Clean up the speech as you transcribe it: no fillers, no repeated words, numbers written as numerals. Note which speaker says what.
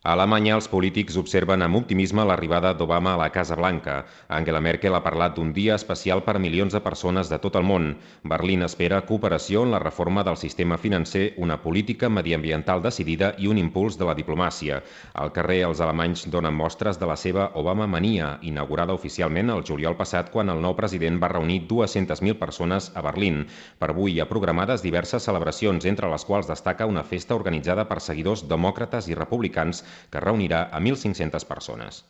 Speaker 1: A Alemanya, els polítics observen amb optimisme l'arribada d'Obama a la Casa Blanca. Angela Merkel ha parlat d'un dia especial per milions de persones de tot el món. Berlín espera cooperació en la reforma del sistema financer, una política mediambiental decidida i un impuls de la diplomàcia. Al carrer, els alemanys donen mostres de la seva Obama-mania, inaugurada oficialment el juliol passat quan el nou president va reunir 200.000 persones a Berlín. Per avui hi ha programades diverses celebracions, entre les quals destaca una festa organitzada per seguidors demòcrates i republicans que reunirà a 1.500 persones.